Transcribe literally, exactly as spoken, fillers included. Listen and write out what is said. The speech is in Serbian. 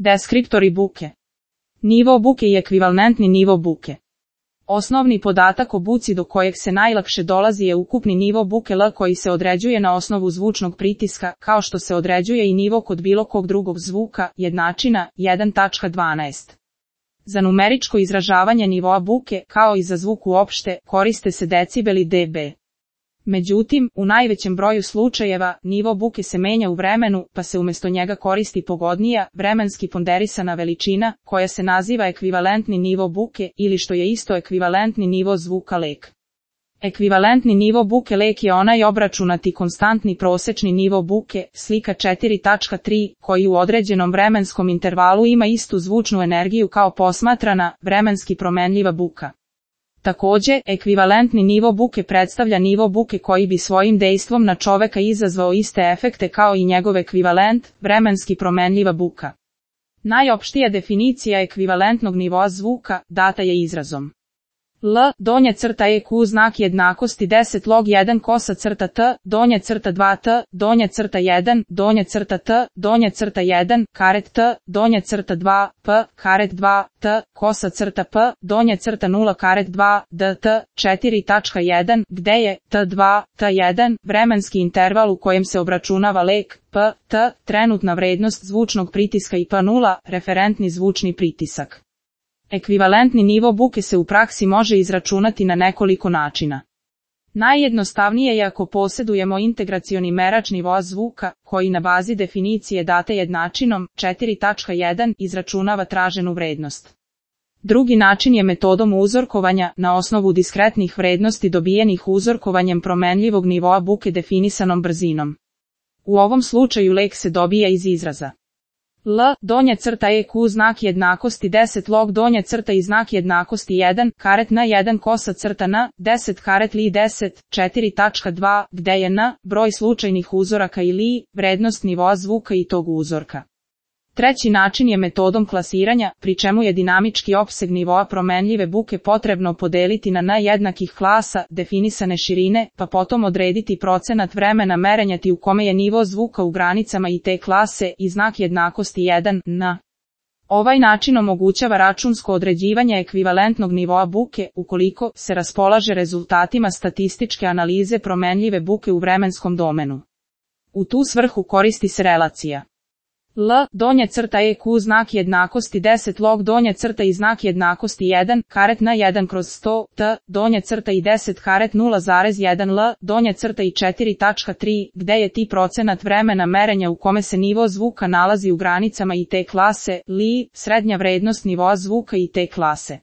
Deskriptori buke. Nivo buke i ekvivalentni nivo buke. Osnovni podatak o buci do kojeg se najlakše dolazi je ukupni nivo buke L koji se određuje na osnovu zvučnog pritiska, kao što se određuje i nivo kod bilo kog drugog zvuka, jednačina jedan tačka dvanaest. Za numeričko izražavanje nivoa buke, kao i za zvuk uopšte, koriste se decibeli dB. Međutim, u najvećem broju slučajeva, nivo buke se menja u vremenu, pa se umjesto njega koristi pogodnija, vremenski ponderisana veličina, koja se naziva ekvivalentni nivo buke, ili što je isto ekvivalentni nivo zvuka lek. Ekvivalentni nivo buke lek je onaj obračunati konstantni prosečni nivo buke, slika četiri tačka tri, koji u određenom vremenskom intervalu ima istu zvučnu energiju kao posmatrana, vremenski promenljiva buka. Takođe, ekvivalentni nivo buke predstavlja nivo buke koji bi svojim dejstvom na čoveka izazvao iste efekte kao i njegov ekvivalent, vremenski promenljiva buka. Najopštija definicija ekvivalentnog nivoa zvuka data je izrazom L, donja crta E Q znak jednakosti deset log jedan kosa crta T, donja crta dva T, donja crta jedan, donja crta T, donja crta jedan, karet T, donja crta dva, P, karet dva, T, kosa crta P, donja crta nula karet dva, D, T, četiri tačka jedan, gde je T dva, T jedan, vremenski interval u kojem se obračunava lek, P, T, trenutna vrednost zvučnog pritiska i P nula, referentni zvučni pritisak. Ekvivalentni nivo buke se u praksi može izračunati na nekoliko načina. Najjednostavnije je ako posjedujemo integracioni merač nivoa zvuka, koji na bazi definicije date jednačinom četiri tačka jedan izračunava traženu vrednost. Drugi način je metodom uzorkovanja na osnovu diskretnih vrednosti dobijenih uzorkovanjem promenljivog nivoa buke definisanom brzinom. U ovom slučaju lek se dobija iz izraza L, donja crta E Q znak jednakosti deset log donja crta i znak jednakosti jedan, karet N jedan kosa crta N, deset karet Li deset, četiri tačka dva, gde je N, broj slučajnih uzoraka i Li, vrednost nivoa zvuka i tog uzorka. Treći način je metodom klasiranja, pri čemu je dinamički opseg nivoa promenljive buke potrebno podeliti na N jednakih klasa, definisane širine, pa potom odrediti procenat vremena merenjati u kome je nivo zvuka u granicama i te klase i znak jednakosti jedan, N. Ovaj način omogućava računsko određivanje ekvivalentnog nivoa buke, ukoliko se raspolaže rezultatima statističke analize promenljive buke u vremenskom domenu. U tu svrhu koristi se relacija L, donja crta E Q znak jednakosti deset log donja crta i znak jednakosti jedan, karet N jedan kroz sto, T, donja crta i deset karet nula zarez jedan L, donja crta i četiri tačka tri, gde je ti procenat vremena merenja u kome se nivo zvuka nalazi u granicama i te klase, Li, srednja vrednost nivoa zvuka i te klase.